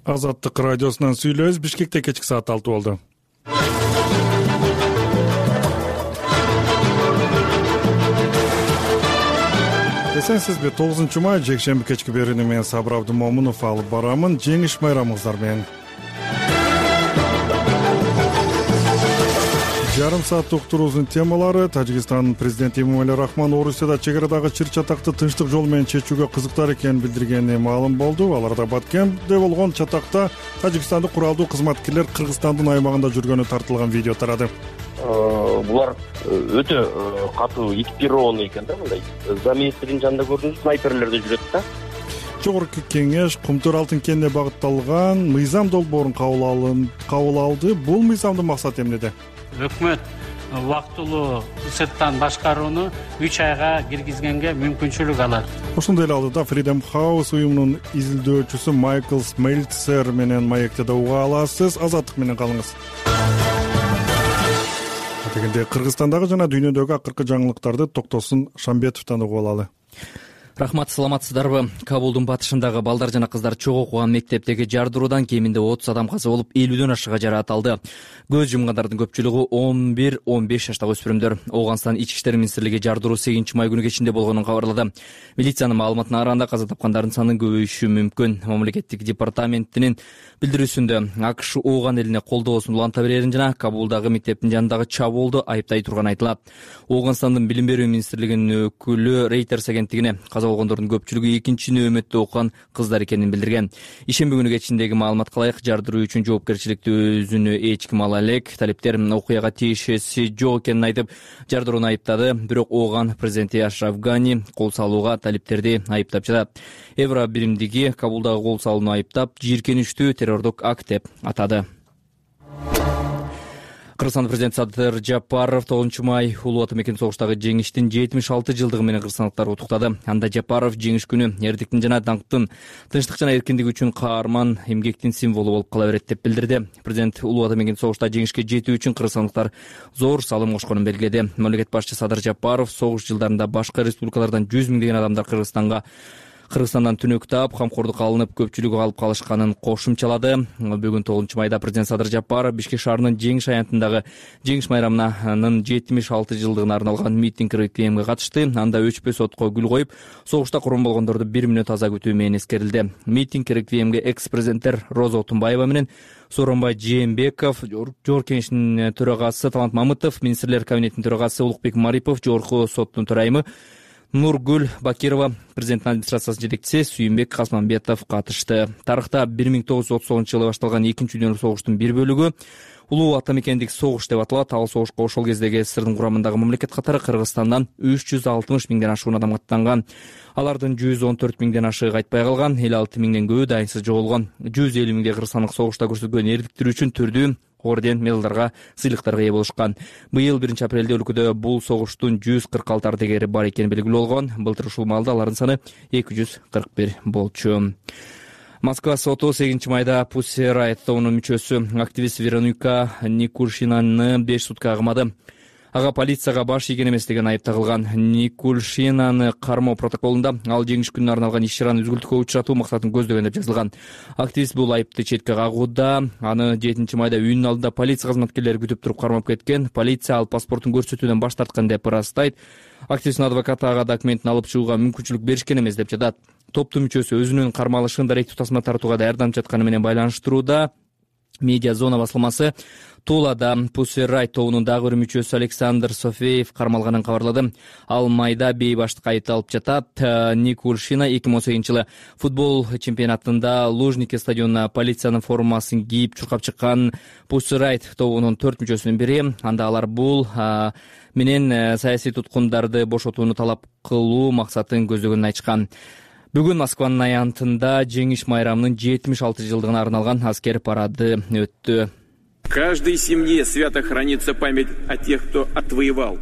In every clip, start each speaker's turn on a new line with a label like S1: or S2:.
S1: Азаттык радиосунан сүйлөбүз. Бишкекте кечки саат 6 болду. Эсенсизби? 9-май жекшемби кечки берүүнү мен Сабыр Абдымомунов алып барамын. Жеңиш байрамыңыздар менен. Жарым саат уктуруубуздун темалары: Тажикстандын президенти Эмомали Рахмон Орусияда чек арадагы чыр-чатакты тынчтык жол менен чечүүгө кызыктар экенин билдиргени маалым болду. Аларда Баткенде болгон чатакта тажикстандык куралдуу кызматкерлер Кыргызстандын аймагында жүргөнү тартылган видео тарады.
S2: Булар өтө катуу экипированный экен да, мындай. Заместриктин жанында көрдүңүз, снайперлер да жүрөт да.
S1: Жогорку кеңеш Кумтөр алтын кенine багытталган мыйзам долбоорун кабыл алды. Бул мыйзамдын максаты эмнеде?
S3: Өкмөт убактылуу сырттан башкарууну 3 айга киргизгенге мүмкүнчүлүк алат.
S1: Ошондой эле алдыда Freedom House уюмунун изилдөөчүсү Майкл Смельцер менен маектеде уга аласыз. Азаттык менен калыңыз. Дегенде Кыргызстандагы жана дүйнөдөгү акыркы жаңылыктарды Токтосун Шамбетовдон угуп алалы.
S4: Рахмат, саламатсыздарбы? Кабулдун батышындагы балдар жана кыздар чогуу окуган мектептеги жардыруудан кеминде 30 адам каза болуп, 50дөн ашыга жараат алды. Көз жумгандардын көпчүлүгү 11-15 жаштагы өспүрүмдөр. Оганстан Ички иштер министрлиги жардыруу 8-май күнү кечинде болгонун кабарлады. Милициянын маалыматына караганда каза тапкандардын саны көбөйүшү мүмкүн. Мамлекеттик департаментинин билдирүүсүндө АКШ Ооган элине колдоосун уланта берерин жана Кабулдагы мектептин жанындагы чабуулду айыптай турганы айтылат. Оганстандын билим берүү министрлигинин өкүлү Reuters агенттигине каза болгондордун көпчүлүгү 2-нөөмөттө окуган кыздар экенин билдирген. Ишемби күнү кечиндеги маалыматка ылайык, жардыруу үчүн жоопкерчиликти өзүнө эч ким ала элек. Талиптер окуяга тиешеси жок экенин айтып, жардырууну айыптады. Бирок Ооган президенти Ашраф Гани кол салууга талиптерди айыптап жатат. Евро биримдиги Кабулдагы кол салууну айыптап, жийиркеничтүү террордук акт деп атады. Кыргызстан президенти Садыр Жапаров 9-май улуу ата мекен согуштагы жеңиштин 76 жылдыгы менен кыргызстандыктарды куттуктады. Анда Жапаров жеңиш күнү эрдиктин жана даңктын, тынчтык жана эркиндик үчүн каарман эмгектин символу болуп кала берет деп билдирди. Президент улуу ата мекен согушта жеңишке жетүү үчүн кыргызстандыктар зор салым кошконун белгиледи. Мамлекет башчысы Садыр Жапаров согуш жылдарында башка республикалардан 100 миңдеген адамдар Кыргызстандан түнөк таап, камкордукка алынып, көпчүлүгү алып калышканын кошумчалады. Бүгүн 9-майда президент Садыр Жапаров Бишкек шаарынын Жеңиш аянтындагы Жеңиш майрамынын 76 жылдыгына арналган митинг реквиемге катышты. Анда өчпөс отко гүл коюп, согушта курбан болгондорду 1 мүнөт аза күтүү менен эскерилди. Митинг реквиемге экс-президенттер Роза Отунбаева менен Сооронбай Жээнбеков, Жогорку кеңештин төрагасы Талант Мамытов, министрлер кабинетинин төрагасы Улукбек Марипов, Жогорку соттун төрайымы Нургүл Бакирова, президенттин администрациясынын жетекчиси Сүйүнбек Касманбетов катышты. Тарыхта 1939-жылы башталган 2-дүйнөлүк согуштун бир бөлүгү улуу ата мекендик согуш деп аталат. Ал согушка ошол кездеги СССРдын курамындагы мамлекет катары Кыргызстандан 360 миңден ашуун адам аттанган. Алардын 114 миңден ашыгы кайтпай калган, 56 миңден көбү дайынсыз жоголгон. 150 миңдей кыргызстандык согушта көрсөткөн эрдиктери үчүн түрдүү орден, медалдарга, сыйлыктарга ээ болушкан. Быйыл 1-апрелде өлкөдө бул согуштун 146 ардагери бар экени белгилүү болгон. Былтыр ушул маалда алардын саны 241 болчу. Москва соту 8-майда Pussy Riot тобунун мүчөсү активист Вероника Никулшинаны 5 суткага камады. Ага полицияга баш ийген эмес деген айып тагылган. Никулшинаны кармоо протоколунда ал жеңиш күнүнө арналган иш-чараны үзгүлтүккө учуратуу максатын көздөгөн деп жазылган. Активист бул айыпты четке кагууда. Аны 7-майда үйүнүн алдында полиция кызматкерлери күтүп туруп кармап кеткен. Полиция ал паспортун көрсөтүүдөн баш тарткан деп ырастайт. Активисттин адвокаты ага документин алып чыгууга мүмкүнчүлүк беришкен эмес деп жатат. Топтун мүчөсү өзүнүн кармалышын даректүү тасма тартууга даярданып жатканы менен байланыштырууда. Медиа зона басылмасы Тулада Pussy Riot тобунун дагы бир мүчөсү Александр Софеев кармалганын кабарлады. Ал майда бейбаштыкка айыпталып жатат. Никулшина 2018-жылы футбол чемпионатында Лужники стадионуна полициянын формасын кийип чуркап чыккан Pussy Riot тобунун 4 мүчөсүнүн бири. Анда алар бул менен саясий туткундарды бошотууну талап кылуу максатын көздөгөнүн айтышкан. Бүгүн Москванын аянтында Жеңиш майрамынын 76 жылдыгына арналган аскер парады өттү.
S5: В каждой семье свято хранится память о тех, кто отвоевал.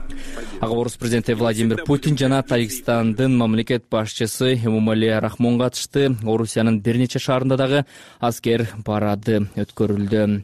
S4: Ага орус президенти Владимир Путин жана Тажикстандын мамлекет башчысы Эмомали Рахмон катышты. Орусиянын бир нече шаарында дагы аскер парады өткөрүлдү.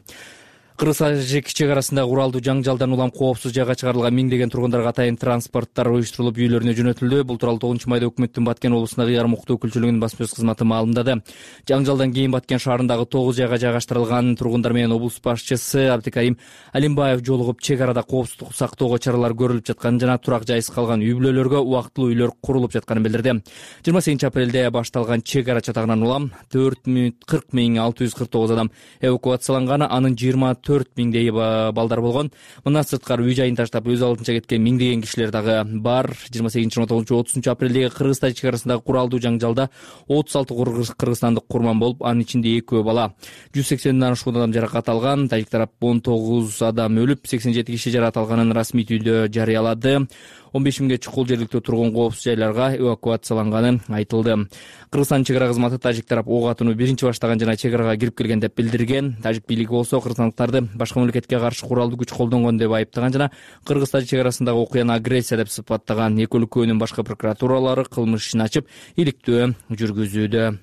S4: Кыргыз-тажик чек арасындагы уралдуу жаңжалдан улам коопсуз жайга чыгарылган миңдеген тургундарга атайын транспорттор уюштурулуп үйлөрүнө жөнөтүлдү. Бул тууралуу 9-майда өкмөттүн Баткен облусундагы ярым укуктуу өкүлчүлүгүнүн басма сөз кызматы маалымдады. Жаңжалдан кийин Баткен шаарындагы 9 жайга жайгаштырылган тургундар менен облус башчысы Абдикарим Алимбаев жолугуп, чек арада коопсуздукту сактоого чаралар көрүлүп жатканын жана турак жайсыз калган үй бүлөлөргө убактылуу үйлөр курулуп жатканын билдирди. 28-апрелде башталган чек ара чатагынан улам 40,649 адам эвакуацияланганы, анын 24,000 балдар болгон. Мындан сырткары үй жайын таштап өз алдынча кеткен миңдеген кишилер дагы бар. 28-29-30 апрелдеги Кыргыз-Тажик чек арасындагы куралдуу жаңжалда 36 кыргызстандык курман болуп, анын ичинде 2 бала. 180ден ашуун адам жаракат алган. Тажик тарап 19 адам өлүп, 87 киши жаракат алганын расмий түрдө жарыялады. 15 миңге чукул жергиликтүү тургун коопсуз жайларга эвакуацияланганы айтылды. Кыргызстан чек ара кызматы тажик тарап ок атууну биринчи баштаган жана чек арага кирип келген деп билдирген. Тажик бийлиги болсо кыргызстандыктарды башка мамлекетке каршы куралдуу күч колдонгон деп айыптаган жана Кыргыз-Тажик чек арасындагы окуяны агрессия деп сыпаттаган. Эки өлкөнүн башкы прокуратуралары кылмыш ишин ачып, иликтөө жүргүзүүдө.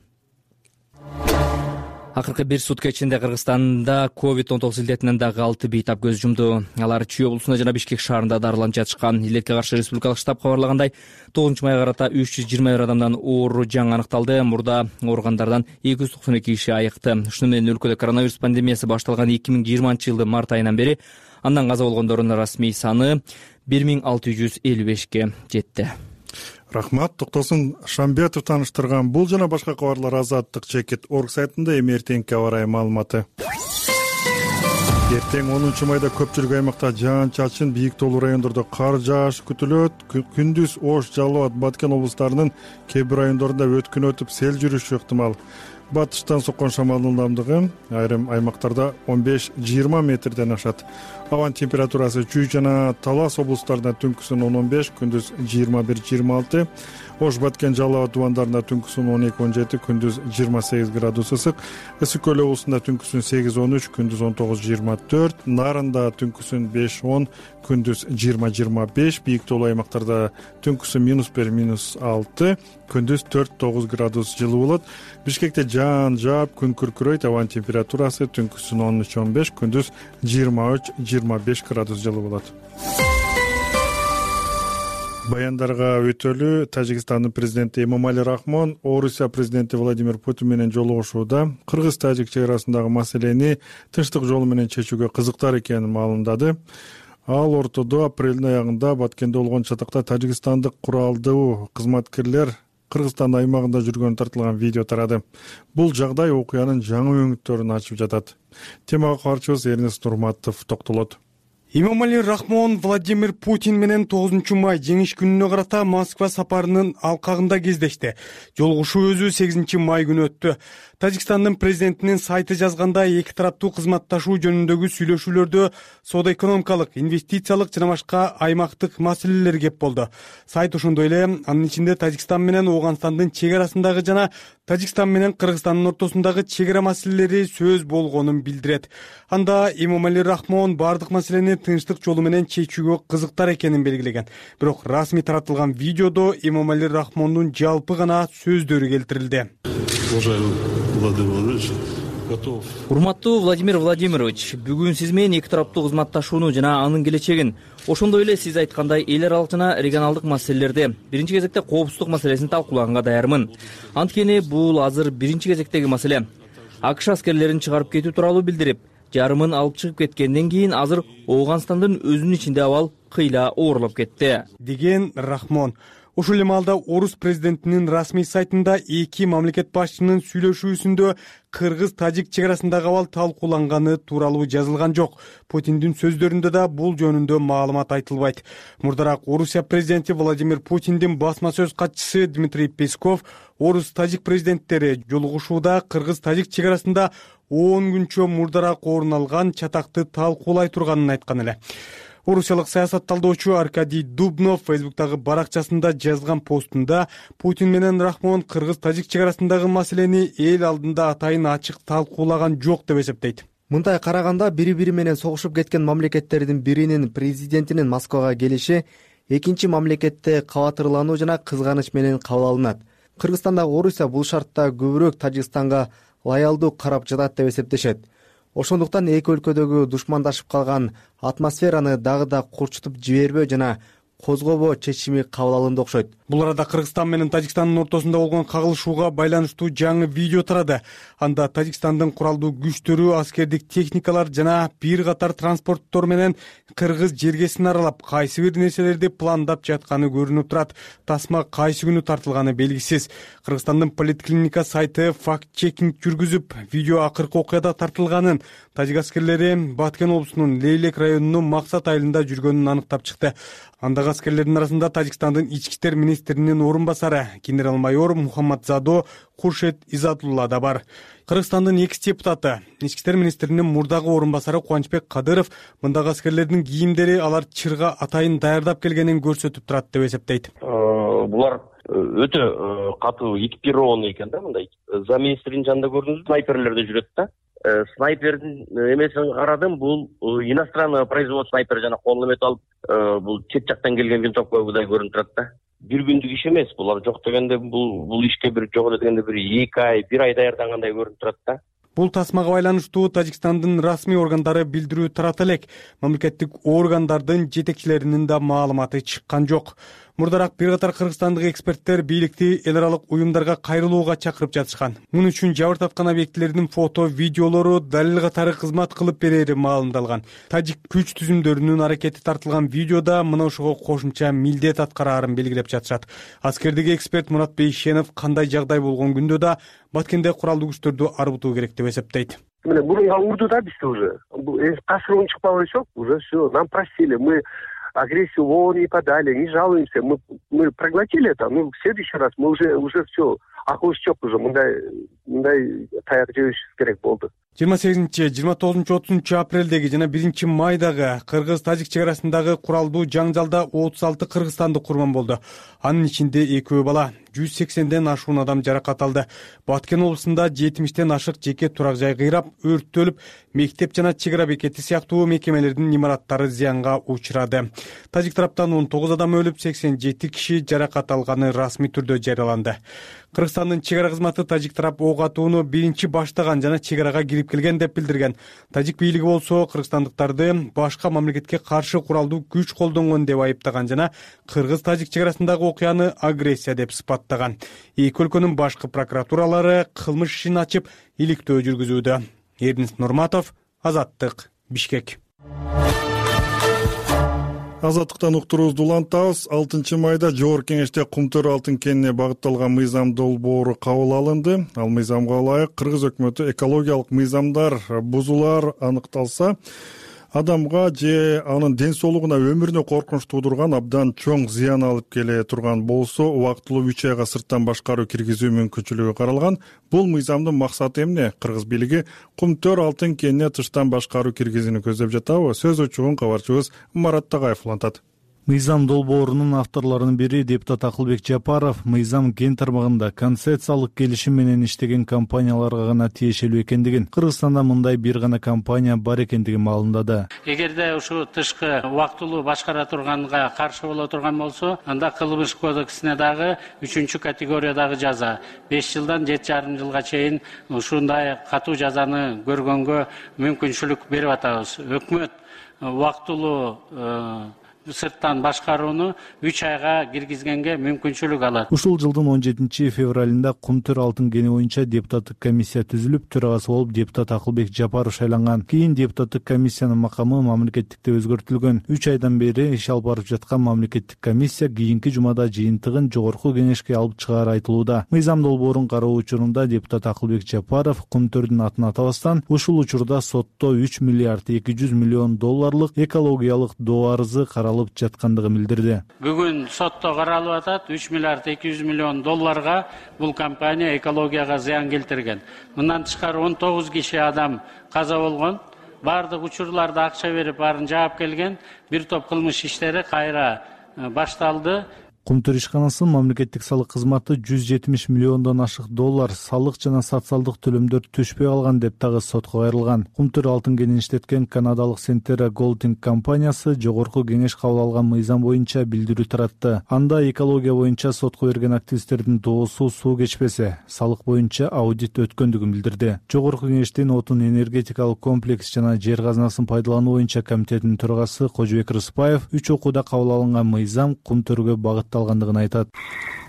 S4: Акыркы бир сутка ичинде Кыргызстанда COVID-19 илдетинен дагы 6 бейтап көз жумду. Алар Чүй облусунда жана Бишкек шаарында дарыланып жатышкан. Илдетке каршы республикалык штаб кабарлагандай, 9-майга карата 321 адамдан оору жаңы аныкталды. Мурда ооругандардан 292 киши айыкты. Ушуну менен өлкөдө коронавирус пандемиясы башталган 2020-жылдын март айынан бери андан каза болгондордун расмий саны 1655ке жетти.
S1: Рахмат. Токтосун Шамбетов тааныштырган бул жана башка кабарлар Азаттык Чекит орг сайтында. Эми эртеңки аба ырайы маалыматы. Эртең 10-майда көпчүлүк аймакта жаан-чачын, бийик тоолуу райондордо кар жаашы күтүлөт. Күндүз Ош, Жалал Абад, Баткен облустарынын кээ бир райондорунда өткүн өтүп, сел жүрүшү ыктымал. Батыштан соккон шамалдын ылдамдыгы айрым аймактарда 15-20 метрден ашат. Абанын температурасы Чүй жана Талас облустарында түнкүсүн 10-15, күндүз 21-26. Ош, Баткен, Жалал Абад дубандарында түнкүсүн 12-17, күндүз 28 градус ысык. Ысык көл облусунда түнкүсүн 8-13, күндүз 19-24. Нарында түнкүсүн 5-10, күндүз 20-25. Бийик тоолуу аймактарда түнкүсүн -1, -6, күндүз 4-9 градус жылуу болот. Бишкекте жаан жаап, күн күркүрөйт. Абанын температурасы түнкүсүн 13-15, күндүз 23-25 градус жылуу болот. Баяндарга өтөлү. Тажикстандын президенти Эмомали Рахмон Орусия президенти Владимир Путин менен жолугушууда Кыргыз-Тажик чек арасындагы маселени тынчтык жолу менен чечүүгө кызыктар экенин маалымдады. Ал ортодо апрелдин аягында Баткенде болгон чатакта тажикстандык куралдуу кызматкерлер Кыргызстан аймагында жүргөнү тартылган видео тарады. Бул жагдай окуянын жаңы өңүттөрүн ачып жатат. Темага каарчыбыз Эрнест Нурматов токтолот.
S6: Эмомали Рахмон Владимир Путин менен 9-май жеңиш күнүнө карата Москва сапарынын алкагында кездешти. Жолугушуу өзү 8-май күнү өттү. Тажикстандын президентинин сайты жазгандай, эки тараптуу кызматташуу жөнүндөгү сүйлөшүүлөрдө соода-экономикалык, инвестициялык жана башка аймактык маселелер кеп болду. Сайт ошондой эле анын ичинде Тажикстан менен Ооганстандын чек арасындагы жана Тажикстан менен Кыргызстандын ортосундагы чек ара маселелери сөз болгонун билдирет. Анда Эмомали Рахмон бардык маселени тынчтык жолу менен чечүүгө кызыктар экенин белгилеген. Бирок расмий таратылган видеодо Эмомали Рахмондун жалпы гана сөздөрү келтирилди.
S4: Урматтуу Владимир Владимирович, бүгүн сиз менен эки тараптуу кызматташууну жана анын келечегин, ошондой эле сиз айткандай эл аралык жана регионалдык маселелерди, биринчи кезекте коопсуздук маселесин талкуулаганга даярмын. Анткени бул азыр биринчи кезектеги маселе. АКШ аскерлерин чыгарып кетүү тууралуу билдирип, жарымын алып чыгып кеткенден кийин азыр Ооганстандын өзүнүн ичинде абал кыйла оорлоп кетти,
S6: деген Рахмон. Ушул эле маалда Орус президентинин расмий сайтында эки мамлекет башчынын сүйлөшүүсүндө Кыргыз-Тажик чек арасындагы абал талкууланганы тууралуу жазылган жок. Путиндин сөздөрүндө да бул жөнүндө маалымат айтылбайт. Мурдараак Орусия президенти Владимир Путиндин басма сөз катчысы Дмитрий Песков Орус-Тажик президенттери жолугушууда Кыргыз-Тажик чек арасында 10 күнчө мурдараак орун алган чатакты талкуулай турганын айткан эле. Орусиялык саясат талдоочу Аркадий Дубнов Фейсбуктагы баракчасында жазган постунда Путин менен Рахмон Кыргыз-Тажик чек арасындагы маселени эл алдында атайын ачык талкуулаган жок деп эсептейт.
S7: Мындай караганда бири-бири менен согушуп кеткен мамлекеттердин биринин президентинин Москвага келиши экинчи мамлекетте кабатырлануу жана кызганыч менен кабыл алынат. Кыргызстандагы Орусия бул шартта көбүрөөк Тажикстанга лоялдуу карап жатат деп эсептешет. Ошондуктан эки өлкөдөгү душмандашып калган атмосфераны дагы да курчутуп жибербөө жана козгобоо чечими кабыл алынды окшойт.
S6: Бул арада Кыргызстан менен Тажикстандын ортосунда болгон кагылышууга байланыштуу жаңы видео тарады. Анда Тажикстандын куралдуу күчтөрү, аскердик техникалар жана бир катар транспорттор менен кыргыз жергесин аралап, кайсы бир нерселерди пландап жатканы көрүнүп турат. Тасма кайсы күнү тартылганы белгисиз. Кыргызстандын поликлиника сайты факт-чекинг жүргүзүп, видео акыркы окуяда тартылганын, тажик аскерлери Баткен облусунун Лейлек районунун Максат айылында жүргөнүн аныктап чыкты. Андагы аскерлердин арасында Тажикстандын ички иштер министринин орун басары генерал-майор Мухаммадзадо Куршет Изатулла да бар. Кыргызстандын экс депутаты, ички иштер министринин мурдагы орун басары Кубанычбек Кадыров мындагы аскерлердин кийимдери алар чырга атайын даярдап келгенин көрсөтүп турат деп эсептейт.
S2: Булар өтө катуу экипированный экен да, мындай. Замминистринин жанында көрдүңүзбү, снайперлерде жүрөт да. Снайпердин эмесин карадым, бул иностранный производство снайпер жана колуна эмет алып, бул чет жактан келген винтовкадай көрүнүп турат да. Бир күндүк иш эмес, булар жок дегенде бул ишке жок эле дегенде бир 2 ай, 1 ай даярдангандай көрүнүп турат да.
S6: Бул тасмага байланыштуу Тажикстандын расмий органдары билдирүү тарата элек. Мамлекеттик органдардын жетекчилеринин да маалыматы чыккан жок. Мурдараак бир катар кыргызстандык эксперттер бийликти эл аралык уюмдарга кайрылууга чакырып жатышкан. Муну үчүн жабыртаткан объектилердин фото, видеолору далил катары кызмат кылып берери маалымдалган. Тажик күч түзүмдөрүнүн аракети тартылган видеода мына ошого кошумча милдет аткараарын белгилеп жатышат. Аскердеги эксперт Мурат Бейшенов кандай жагдай болгон күндө да Баткенде куралдуу күчтөрдү арбытуу керек деп эсептейт.
S8: Мурунга урду да бизде уже. Кашырын чыкпап элечок, уже все, нам простили, мы агрессию в ООН не подали, не жалуемся, мы проглотили это, в следующий раз мы уже все, акыбыз жок уже, мындай таяк жебеш керек болду.
S6: 28, 29, 30 апрелдеги жана 1 майдагы кыргыз-тажик чек арасындагы куралдуу жаңжалда 36 кыргызстандык курман болду. Анын ичинде 2 бала, 180ден ашуун адам жаракат алды. Баткен облусунда 70ден ашык жеке турак жай кыйрап, өрттөлүп, мектеп жана чек ара бекети сыяктуу мекемелердин имараттары зыянга учурады. Тажик тараптан 19 адам өлүп, 87 киши жаракат алганы расмий түрдө жарыяланды. Кыргызстандын чек ара кызматы тажик тарап ок атууну биринчи баштаган жана чек арага кирип келген деп билдирген. Тажик бийлиги болсо кыргызстандыктарды башка мамлекетке каршы куралдуу күч колдонгон деп айыптаган жана кыргыз-тажик чек арасындагы окуяны агрессия деп сыпаттаган. Эки өлкөнүн башкы прокуратуралары кылмыш ишин ачып, иликтөө жүргүзүүдө. Эрдинис Нурматов, Азаттык, Бишкек.
S1: Азаттыктан уктуруубузду улантабыз. 6 майда Жогорку Кеңеште Кумтөр алтын кенине багытталган мыйзам долбоору кабыл алынды. Ал мыйзамга ылайык кыргыз өкмөтү экологиялык мыйзамдар бузулар аныкталса, адамга же анын ден соолугуна, өмүрүнө коркунуч туудурган, абдан чоң зыян алып келе турган болсо, убактылуу 3 айга сырттан башкаруу киргизүү мүмкүнчүлүгү каралган. Бул мыйзамдын максаты эмне? Кыргыз бийлиги Кумтөр алтын кенине тыштан башкаруу киргизүүнү көздөп жатабы? Сөз учугун кабарчыбыз Марат Тагаев улантат.
S9: Мыйзам долбоорунун авторлорунун бири депутат Акылбек Жапаров мыйзам кен тармагында концессиялык келишим менен иштеген компанияларга гана тиешелүү экендигин, Кыргызстанда мындай бир гана компания бар экендигин маалымдады.
S3: Эгерде ушу тышкы убактылуу башкара турганга каршы боло турган болсо, анда кылмыш кодексине дагы 3-категориядагы жаза 5 жылдан 7,5 жылга чейин ушундай катуу жазаны көргөнгө мүмкүнчүлүк берип атабыз. Өкмөт убактылуу сырттан башкарууну 3 айга киргизгенге мүмкүнчүлүк алат.
S9: Ушул жылдын 17 февралында Кумтөр алтын кени боюнча депутаттык комиссия түзүлүп, төрагасы болуп депутат Акылбек Жапаров шайланган. Кийин депутаттык комиссиянын макамы мамлекеттикте өзгөртүлгөн. 3 айдан бери иш алып барып жаткан мамлекеттик комиссия кийинки жумада жыйынтыгын Жогорку Кеңешке алып чыгары айтылууда. Мыйзам долбоорун кароо учурунда депутат Акылбек Жапаров Кумтөрдүн атын атабастан ушул учурда сотто 3 миллиард 200 миллион долларлык экологиялык доо арызы жаткандыгын билдирди.
S3: Бүгүн сотто каралып атат. 3 миллиард 200 миллион долларга бул компания экологияга зыян келтирген. Мындан тышкары 19 киши адам каза болгон. Бардык учурларда акча берип баарын жаап келген. Бир топ кылмыш иштери кайра башталды.
S9: Кумтөр ишканасынын мамлекеттик салык кызматы 170 миллиондон ашык доллар салык жана социалдык төлөмдөр түшпөй калган деп дагы сотко кайрылган. Кумтөр алтын кенин иштеткен канадалык Centera Golding компаниясы жогорку кеңеш кабыл алган мыйзам боюнча билдирүү таратты. Анда экология боюнча сотко берген активисттердин доосу суу кечпесе, салык боюнча аудит өткөндүгүн билдирди. Жогорку кеңештин отун энергетикалык комплекс жана жер казынасын пайдалануу боюнча комитетинин төрагасы Кожобек Рыспаев 3 окууда кабыл алынган мыйзам Кумтөргө багытталгандыгын айтат.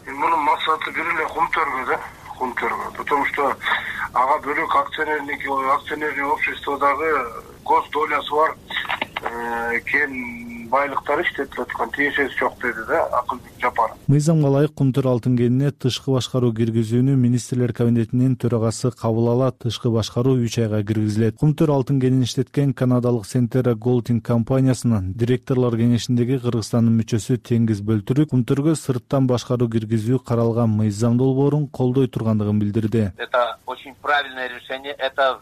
S10: Мунун максаты бир эле Кумтөргө, потому что ага бөлөк акционерный обществодагы гос долясы бар кен байлыктар иштетип аткан, тиешеси жок деди да Акылбек Жапаров.
S9: Мыйзамга ылайык Кумтөр алтын кенине тышкы башкаруу киргизүүнү министрлер кабинетинин төрагасы кабыл алат. Тышкы башкаруу 3 айга киргизилет. Кумтөр алтын кенин иштеткен канадалык Centera Golding компаниясынын директорлор кеңешиндеги Кыргызстандын мүчөсү Теңиз Бөлтүрүк Кумтөргө сырттан башкаруу киргизүү каралган мыйзам долбоорун колдой тургандыгын билдирди.
S10: Это очень правильное решение. Это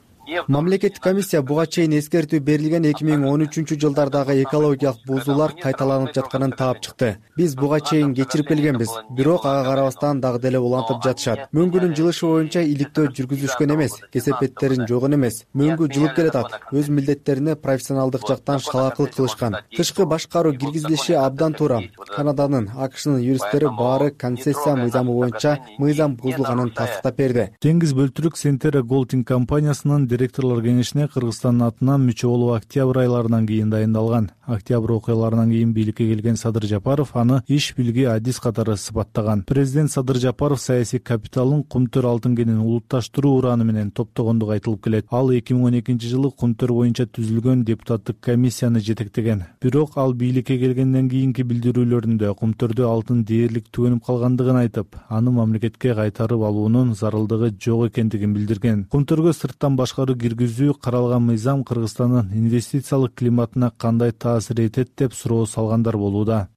S7: Мамлекеттик комиссия буга чейин эскертүү берилген 2013-жылдардагы экологиялык бузуулар кайталанып жатканын таап чыкты. Биз буга чейин кечирип келгенбиз, бирок ага карабастан дагы деле улантып жатышат. Мөңгүнүн жылышы боюнча иликтөө жүргүзүшкөн эмес, кесепеттерин жогон эмес. Мөңгү жылып келатат. Өз милдеттерине профессионалдык жактан шалаакылык кылышкан. Тышкы башкаруу киргизилиши абдан туура. Канаданын, АКШнын юристтери баары концессия мыйзамы боюнча мыйзам бузулганын тастыктап берди.
S9: Теңиз Бөлтүрүк Centera Golding компаниясынын директорлор кеңешине Кыргызстандын атынан мүчө болуп октябрь айларынан кийин дайындалган. Октябрь окуяларынан кийин бийликке келген Садыр Жапаров аны иш билги адис катары сыпаттаган. Президент Садыр Жапаров саясий капиталын Кумтөр алтын кенин улутташтыруу ураны менен топтогондугу айтылып келет. Ал 2012-жылы Кумтөр боюнча түзүлгөн депутаттык комиссияны жетектеген. Бирок ал бийликке келгенден кийинки билдирүүлөрүндө Кумтөрдө алтын дээрлик түгөнүп калгандыгын айтып, аны мамлекетке кайтарып алуунун зарылдыгы жок экендигин билдирген. Кумтөргө сырттан башкаруу киргизүү каралган мыйзам Кыргызстандын инвестициялык климатына кандай таасир этет деп суроо салгандар болууда.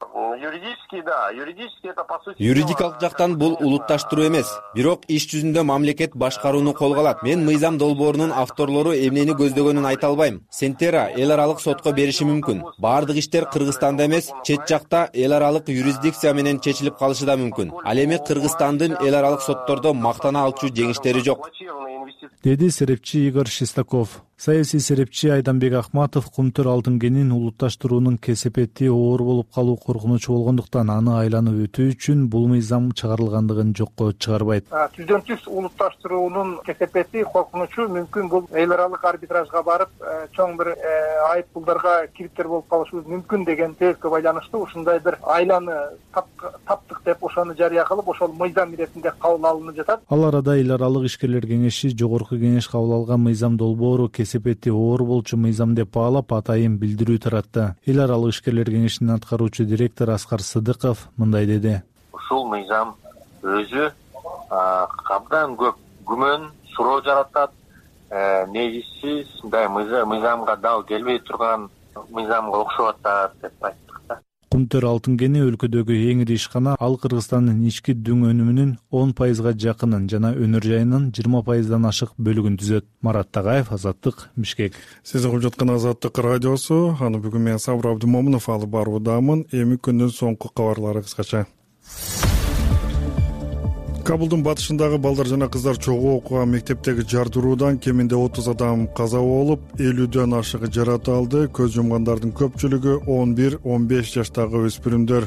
S11: Юридикалык жактан бул улутташтыруу эмес, бирок иш жүзүндө мамлекет башкарууну колго алат. Мен мыйзам долбоорунун авторлору эмнени көздөгөнүн айта албайм. Centera эл аралык сотко бериши мүмкүн. Баардык иштер Кыргызстанда эмес, чет жакта эл аралык юрисдикция менен чечилип калышы да мүмкүн. Ал эми Кыргызстандын эл аралык соттордо мактана алчу жеңиштери жок,
S9: деди серепчи Игорь Шестаков. Саясий серепчи Айданбек Ахматов Кумтөр алтын кенин улутташтыруунун кесепети оор болуп калуу коркунучу болгондуктан аны айланып өтүү үчүн бул мыйзам чыгарылгандыгын жокко чыгарбайт.
S10: Түздөн түз улутташтыруунун кесепети, коркунучу мүмкүн бул эл аралык арбитражга барып, чоң бир айып пулдарга кириптер болуп калышыбыз мүмкүн деген себепке байланыштуу ушундай бир айланы таптык деп ошону жарыя кылып, ошол мыйзам иретинде кабыл алынып жатат.
S9: Ал арада эл аралык ишкерлер кеңеши жогорку кеңеш кабыл алган мыйзам долбоору кесепети оор болчу мыйзам деп баалап атайын билдирүү таратты. Эл аралык ишкерлер кеңешинин аткаруучу директору Аскар Сыдыков мындай деди.
S10: Ушул мыйзам өзү абдан көп күмөн, суроо жаратат. Негизсиз мындай мыйзамга дал келбей турган мыйзамга окшоп атат деп айттык да.
S9: Кумтөр алтын кени өлкөдөгү эң ири ишкана. Ал Кыргызстандын ички дүң өнүмүнүн 10%га жакынын жана өнөр жайынын 20%дан ашык бөлүгүн түзөт. Марат Тагаев, Азаттык, Бишкек.
S1: Сиз угуп жаткан Азаттык радиосу. Аны бүгүн мен Сабыр Абдымомунов алып баруудамын. Эми күндүн соңку кабарлары кыскача. Кабулдун батышындагы балдар жана кыздар чогуу окуган мектептеги жардыруудан кеминде 30 адам каза болуп, 50дөн ашыгы жарат алды. Көз жумгандардын көпчүлүгү 11-15 жаштагы өспүрүмдөр.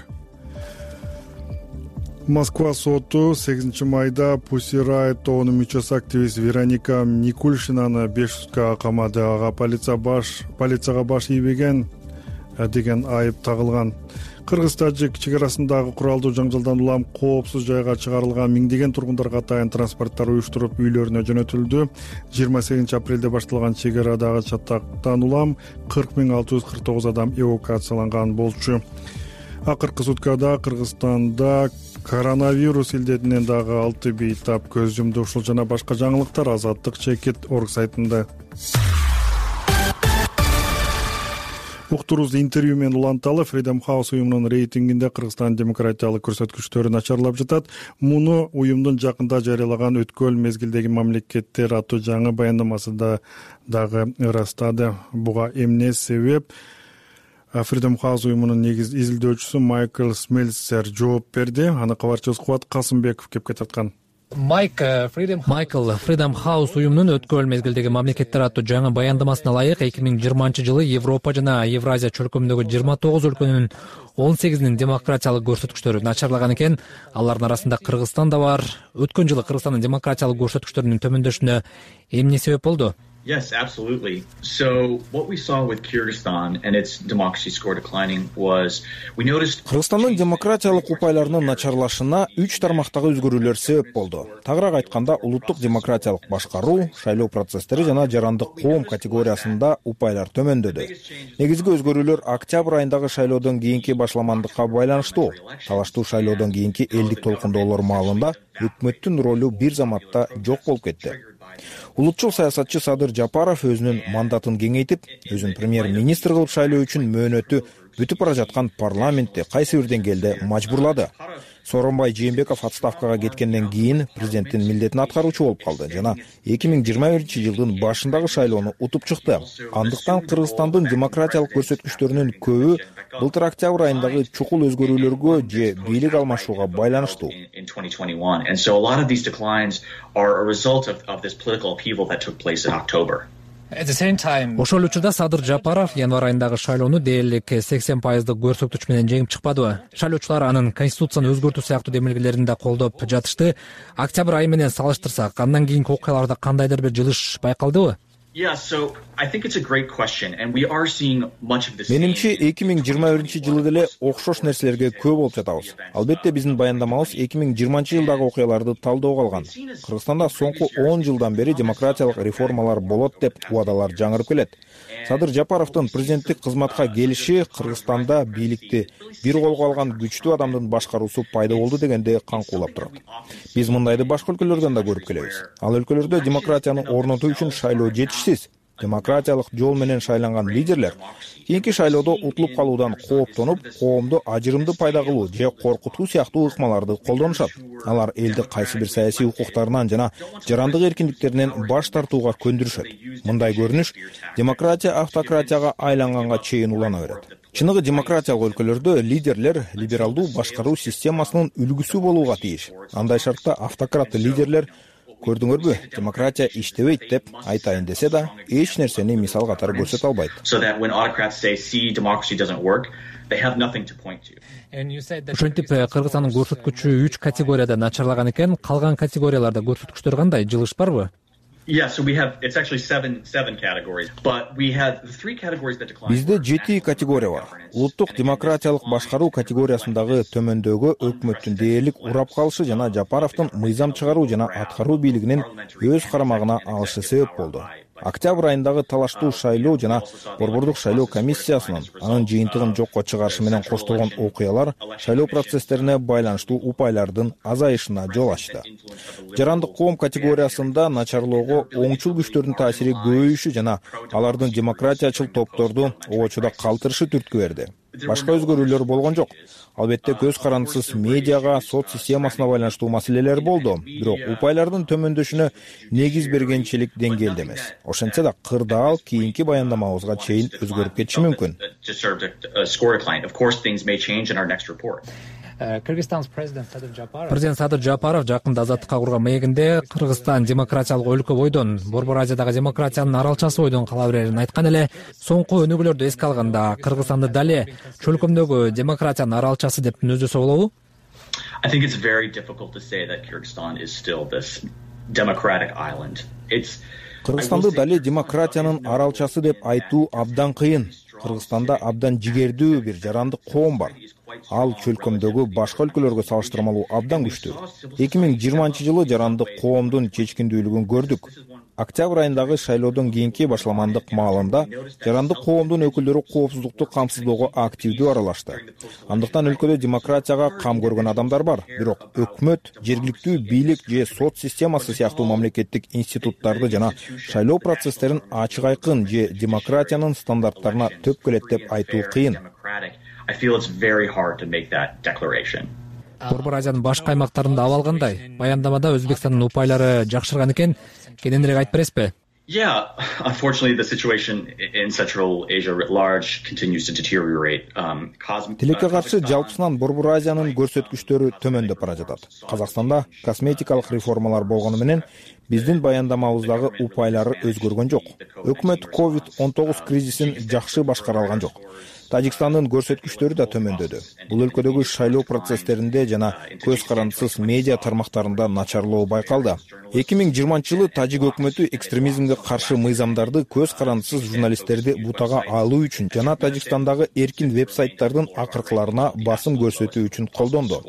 S1: Москва соту 8 майда Pussy Riot тобунун мүчөсү активист Вероника Никулшинаны 5 суткага камады. Ага полицияга баш ийбеген деген айып тагылган. Кыргыз-тажик чек арасындагы куралдуу жаңжалдан улам коопсуз жайга чыгарылган миңдеген тургундарга атайын транспорттар уюштуруп үйлөрүнө жөнөтүлдү. 28 апрелде башталган чек арадагы чатактан улам 40,649 адам эвакуацияланган болчу. Акыркы суткада Кыргызстанда коронавирус илдетинен дагы 6 бейтап көз жумду. Ушул жана башка жаңылыктар Азаттык Чекит.org сайтында. Уктурубузду интервью менен уланталы. Freedom House уюмунун рейтингинде Кыргызстан демократиялык көрсөткүчтөрү начарлап жатат. Муну уюмдун жакында жарыялаган өткөл мезгилдеги мамлекеттер аттуу жаңы баяндамасында дагы ырастады. Буга эмне себеп? Freedom House уюмунун изилдөөчүсү Майкл Смельцер жооп берди. Аны кабарчыбыз Кубат Касымбеков кепке тарткан.
S12: Майкл Freedom House уюмунун өткөрүл мезгилдеги мамлекеттер аттуу жаңы баяндамасына ылайык 2020 Европа жана Евразия чөлкөмүндөгү 29 өлкөнүн 18-нин демократиялык көрсөткүчтөрү начарлаган экен. Алардын арасында Кыргызстан да бар. Өткөн жылы Кыргызстандын демократиялык көрсөткүчтөрүнүн төмөндөшүнө эмне себеп болду?
S13: Yes, absolutely. So what we saw with Kyrgyzstan and its democracy score declining was we noticed
S14: Кыргызстандын демократиялык упайларынын начарлашына 3 тармактагы өзгөрүүлөр себеп болду. Тагыраак айтканда, улуттук демократиялык башкаруу, шайлоо процесстери жана жарандык коом категориясында упайлар төмөндөдү. Негизги өзгөрүүлөр октябрь айындагы шайлоодон кийинки башламандыкка байланыштуу. Талаштуу шайлоодон кийинки элдик толкундоолор маалында өкмөттүн ролу бир заматта жок болуп кетти. Улутчул саясатчы Садыр Жапаров өзүнүн мандатын кеңейтип, өзүн премьер-министр кылып шайлоо үчүн мөөнөтү бүтүп бара жаткан парламентти кайсы бир деңгээлде мажбурлады. Сооронбай Жээнбеков отставкага кеткенден кийин президенттин милдетин аткаруучу болуп калды жана 2021-жылдын башындагы шайлоону утуп чыкты. Андыктан Кыргызстандын демократиялык көрсөткүчтөрүнүн көбү былтыр октябрь айындагы чукул өзгөрүүлөргө же бийлик алмашууга байланыштуу.
S12: Ошол учурда Садыр Жапаров январь айындагы шайлоону дээрлик 80% көрсөткүч менен жеңип чыкпадыбы? Шайлоочулар анын конституцияны өзгөртүү сыяктуу демилгелерин да колдоп жатышты. Октябрь айы менен салыштырсак, андан кийинки окуяларда кандайдыр бир жылыш байкалдыбы?
S14: Менимче 2021-жылы деле окшош нерселерге көп болуп жатабыз. Албетте биздин баяндамабыз 2020-жылдагы окуяларды талдоого алган. Кыргызстанда соңку 10 жылдан бери демократиялык реформалар болот деп убадалар жаңырып келет. Садыр Жапаровдун президенттик кызматка келиши Кыргызстанда бийликти бир колго алган күчтүү адамдын башкаруусу пайда болду дегенде каңкуулап турат. Биз мындайды башка өлкөлөрдөн да көрүп келебиз. Ал өлкөлөрдө демократияны орнотуу үчүн шайлоо жетишсиз. Демократиялык жол менен шайланган лидерлер кийинки шайлоодо утулуп калуудан кооптонуп, коомду ажырымды пайда кылуу же коркутуу сыяктуу ыкмаларды колдонушат. Алар элди кайсы бир саясий укуктарынан жана жарандык эркиндиктеринен баш тартууга көндүрүшөт. Мындай көрүнүш демократия автократияга айланганга чейин улана берет. Чыныгы демократиялык өлкөлөрдө лидерлер либералдуу башкаруу системасынын үлгүсү болууга тийиш. Андай шартта автократ лидерлер көрдүңөрбү, демократия иштебейт деп айтайын десе да, эч нерсени мисал катары көрсөтө албайт.
S12: Ошентип Кыргызстандын көрсөткүчү 3 категорияда начарлаган экен, калган категорияларда көрсөткүчтөр кандай, жылыш барбы?
S14: Бизде 7 категория бар. Улуттук демократиялык башкаруу категориясындагы төмөндөгү өкмөттүн дээрлик урап калышы жана Жапаровдун мыйзам чыгаруу жана аткаруу бийлигинин өз карамагына алышы себеп болду. Октябрь айындагы талаштуу шайлоо жана борбордук шайлоо комиссиясынын анын жыйынтыгын жокко чыгарышы менен коштолгон окуялар шайлоо процесстерине байланыштуу упайлардын азайышына жол ачты. Жарандык коом категориясында начарлоого оңчул күчтөрдүн таасири көбөйүшү жана алардын демократиячыл топторду обочудо калтырышы түрткү берди. Башка өзгөрүүлөр болгон жок. Албетте көз карандысыз медиага, сот системасына байланыштуу маселелер болду, бирок упайлардын төмөндөшүнө негиз бергенчилик деңгээлде эмес. Ошентсе да кырдаал кийинки баяндамабызга чейин өзгөрүп кетиши мүмкүн.
S12: Президент Садыр Жапаров жакында азаттыкка курган маегинде Кыргызстан демократиялык өлкө бойдон, Борбор Азиядагы демократиянын аралчасы бойдон кала берерин айткан эле. Соңку өнүгүүлөрдү эске алганда, Кыргызстанды дале чөлкөмдөгү демократиянын аралчасы деп түнөздөсө болобу?
S14: Кыргызстанды дале демократиянын аралчасы деп айтуу абдан кыйын. Кыргызстанда абдан жигердүү бир жарандык коом бар. Ал чөлкөмдөгү башка өлкөлөргө салыштырмалуу абдан күчтүү. 2020-жылы жарандык коомдун чечкиндүүлүгүн көрдүк. Октябрь айындагы шайлоодон кийинки башламандык маалында жарандык коомдун өкүлдөрү коопсуздукту камсыздоого активдүү аралашты. Андыктан өлкөдө демократияга кам көргөн адамдар бар, бирок өкмөт, жергиликтүү бийлик же сот системасы сыяктуу мамлекеттик институттарды жана шайлоо процесстерин ачык айкын же демократиянын стандарттарына төп келет деп айтуу кыйын.
S12: Борбор Азиянын башка аймактарында абал кандай? Баяндамада Өзбекстандын упайлары жакшырган экен, кененирээк айтып бересизби?
S13: Yeah, unfortunately, the situation in Central Asia writ large continues to deteriorate.
S14: Тилекке каршы жалпысынан Борбор Азиянын көрсөткүчтөрү төмөндөп бара жатат. Казакстанда косметикалык реформалар болгону менен биздин баяндамабыздагы упайлары өзгөргөн жок. Өкмөт COVID-19 кризисин жакшы башкара алган жок. Тажикстандын көрсөткүчтөрү да төмөндөдү. Бул өлкөдөгү шайлоо процесстеринде жана көз карандысыз медиа тармактарында начарлоо байкалды. 2020-жылы Тажик өкмөтү экстремизмге каршы мыйзамдарды көз карандысыз журналисттерди бутага алуу үчүн жана Тажикстандагы эркин веб-сайттардын акыркыларына басым көрсөтүү үчүн колдонду.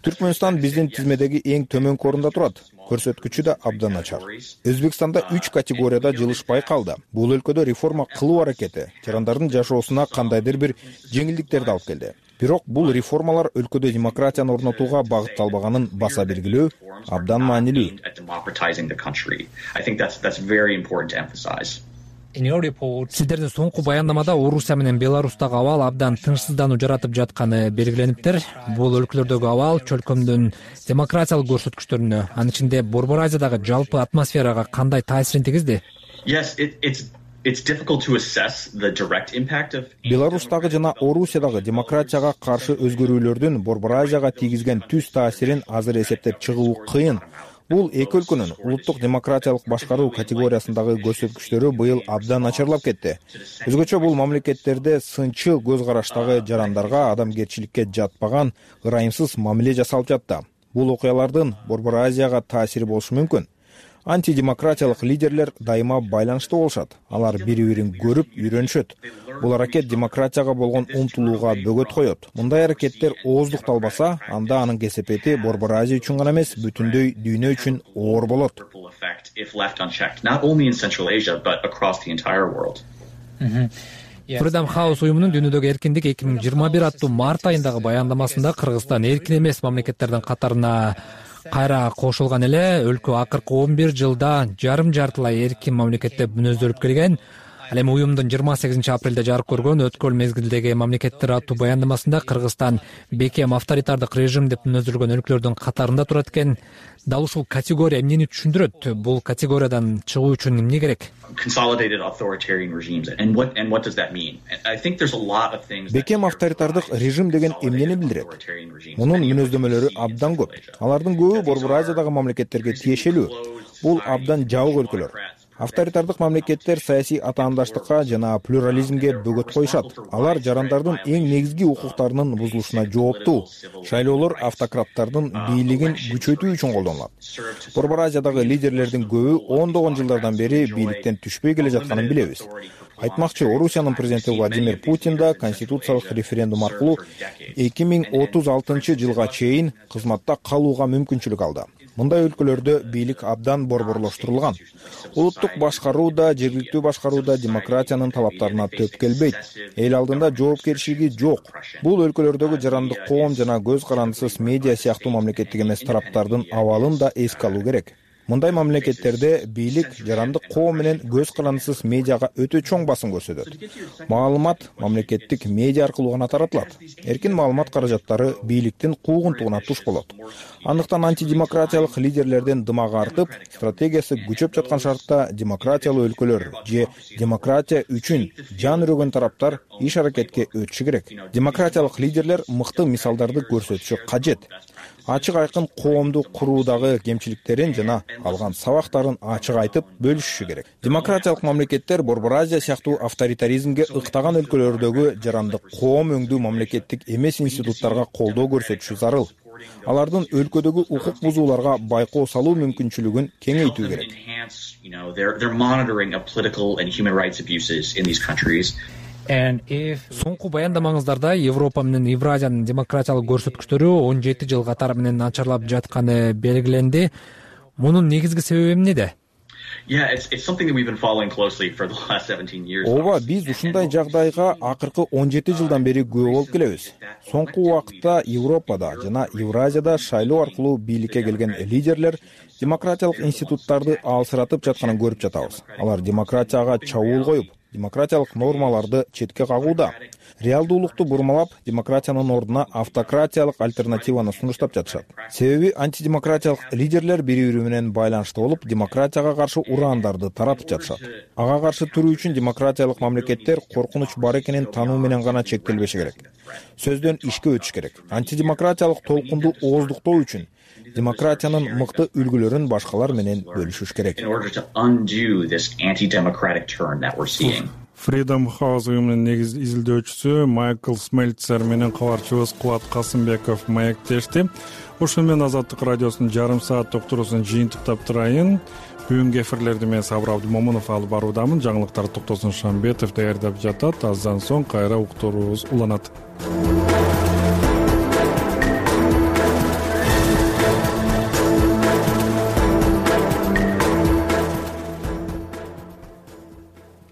S14: Түркмөнстан биздин тизмедеги эң төмөнкү орунда турат. Көрсөткүчү да абдан начар. Өзбекстанда 3 категорияда жылыш байкалды. Бул өлкөдө реформа кылуу аракети жарандардын жашоосуна кандайдыр бир жеңилдиктерди алып келди. Бирок бул реформалар өлкөдө демократияны орнотууга багытталбаганын баса белгилөө абдан маанилүү.
S12: Сиздердин соңку баяндамада Орусия менен Беларустагы абал абдан тынчсыздануу жаратып жатканы белгилениптир. Бул өлкөлөрдөгү абал чөлкөмдүн демократиялык көрсөткүчтөрүнө, анын ичинде Борбор Азиядагы жалпы атмосферага кандай таасирин тийгизди?
S14: Беларустагы жана Орусиядагы демократияга каршы өзгөрүүлөрдүн Борбор Азияга тийгизген түз таасирин азыр эсептеп чыгуу кыйын. Бул эки өлкөнүн улуттук демократиялык башкаруу категориясындагы көрсөткүчтөрү быйыл абдан начарлап кетти. Өзгөчө бул мамлекеттерде сынчыл көз караштагы жарандарга адамгерчиликке жатпаган ырайымсыз мамиле жасалып жатты. Бул окуялардын Борбор Азияга таасири болушу мүмкүн. Антидемократиялык лидерлер дайыма байланышта болушат. Алар бири-бирин көрүп, үйрөнүшөт. Бул аракет демократияга болгон умтулууга бөгөт коет. Мындай аракеттер ооздукталбаса, анда анын кесепети Борбор Азия үчүн гана эмес, бүтүндөй дүйнө үчүн оор болот.
S12: Freedom House уюмунун дүйнөдөгү эркиндик 2021 аттуу март айындагы баяндамасында Кыргызстан эркин эмес мамлекеттердин катарына кайра кошулган эле өлкө акыркы 11 жылда жарым-жартылай эркин мамлекет деп мүнөздөлүп келген. Ал эми уюмдун 28 апрелде жарык көргөн өткөл мезгилдеги мамлекеттер аттуу баяндамасында Кыргызстан бекем авторитардык режим деп мүнөздөлгөн өлкөлөрдүн катарында турат экен. Дал ушул категория эмнени түшүндүрөт? Бул категориядан чыгуу үчүн эмне керек?
S14: Бекем авторитардык режим деген эмнени билдирет? Мунун мүнөздөмөлөрү абдан көп. Алардын көбү Борбор Азиядагы мамлекеттерге тиешелүү. Бул абдан жабык өлкөлөр. Авторитардык мамлекеттер саясий атаандаштыкка жана плюрализмге бөгөт коюшат. Алар жарандардын эң негизги укуктарынын бузулушуна жооптуу. Шайлоолор автократтардын бийлигин күчөтүү үчүн колдонулат. Борбор Азиядагы лидерлердин көбү ондогон жылдардан бери бийликтен түшпөй келе жатканын билебиз. Айтмакчы, Орусиянын президенти Владимир Путин да конституциялык референдум аркылуу 2036 жылга чейин кызматта калууга мүмкүнчүлүк алды. Мындай өлкөлөрдө бийлик абдан борборлоштурулган. Улуттук башкаруу да, жергиликтүү башкаруу да демократиянын талаптарына төп келбейт. Эл алдында жоопкерчилиги жок. Бул өлкөлөрдөгү жарандык коом жана көз карандысыз медиа сыяктуу мамлекеттик эмес тараптардын абалын да эске алуу керек. Мындай мамлекеттерде бийлик жарандык коом менен көз карандысыз медиага өтө чоң басым көрсөтөт. Маалымат мамлекеттик медиа аркылуу гана таратылат. Эркин маалымат каражаттары бийликтин куугунтугуна туш болот. Андыктан антидемократиялык лидерлердин дымагы артып, стратегиясы күчөп жаткан шартта демократиялуу өлкөлөр же демократия үчүн жан үрөгөн тараптар иш аракетке өтүшү керек. Демократиялык лидерлер мыкты мисалдарды көрсөтүшү кажет. Ачык айкын коомду куруудагы кемчиликтерин жана алган сабактарын ачык айтып бөлүшүшү керек. Демократиялык мамлекеттер Борбор Азия сыяктуу авторитаризмге ыктаган өлкөлөрдөгү жарандык коом өңдүү мамлекеттик эмес институттарга колдоо көрсөтүшү зарыл. Алардын өлкөдөгү укук бузууларга байкоо салуу мүмкүнчүлүгүн кеңейтүү керек.
S12: Соңку баяндамаңыздарда Европа менен Евразиянын демократиялык көрсөткүчтөрү 17 жыл катары менен начарлап жатканы белгиленди. Мунун негизги себеби эмнеде?
S14: Ооба, биз ушундай жагдайга акыркы 17 жылдан бери күбө болуп келебиз. Соңку убакытта Европада жана Евразияда шайлоо аркылуу бийликке келген лидерлер демократиялык институттарды алсыратып жатканын көрүп жатабыз. Алар демократияга чабуул коюп, демократиялык нормаларды четке кагууда. Реалдуулукту бурмалап, демократиянын ордуна автократиялык альтернативаны сунуштап жатышат. Себеби антидемократиялык лидерлер бири-бири менен байланышта болуп, демократияга каршы урандарды таратып жатышат. Ага каршы туруу үчүн демократиялык мамлекеттер коркунуч бар экенин таануу менен гана чектелбеши керек. Сөздөн ишке өтүш керек. Антидемократиялык толкунду ооздуктоо үчүн демократиянын мыкты үлгүлөрүн башкалар менен бөлүшүш керек.
S1: Freedom House уюмунун негиз изилдөөчүсү Майкл Смельцер менен кабарчыбыз Кубат Касымбеков маектешти. Ошо менен Азаттык радиосунун жарым саат уктуруусун жыйынтыктап турайын. Бүгүнкү эфирлерди мен Сабыр Абдымомунов алып баруудамын. Жаңылыктарды Токтосун Шамбетов даярдап жатат. Аздан соң кайра уктуруубуз уланат.